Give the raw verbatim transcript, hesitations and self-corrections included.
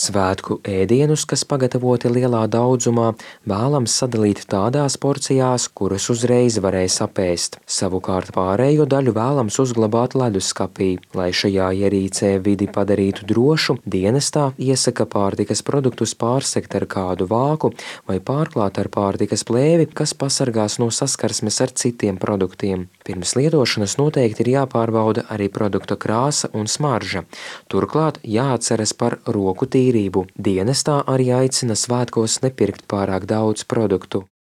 Svētku ēdienus, kas pagatavoti lielā daudzumā, vēlams sadalīt tādās porcijās, kuras uzreiz varēs apēst. Savukārt pārējo daļu vēlams uzglabāt leduskapī. Lai šajā ierīcē vidi padarītu drošu, dienestā iesaka pārtikas produktus pārsegt ar kādu vāku vai pārklāt ar pārtikas plēvi, kas pasargās no saskarsmes ar citiem produktiem. Pirms lietošanas noteikti ir jāpārbauda arī produkta krāsa un smarža. Turklāt jāatceras par roku tīrību. Dienestā arī aicina svētkos nepirkt pārāk daudz produktu.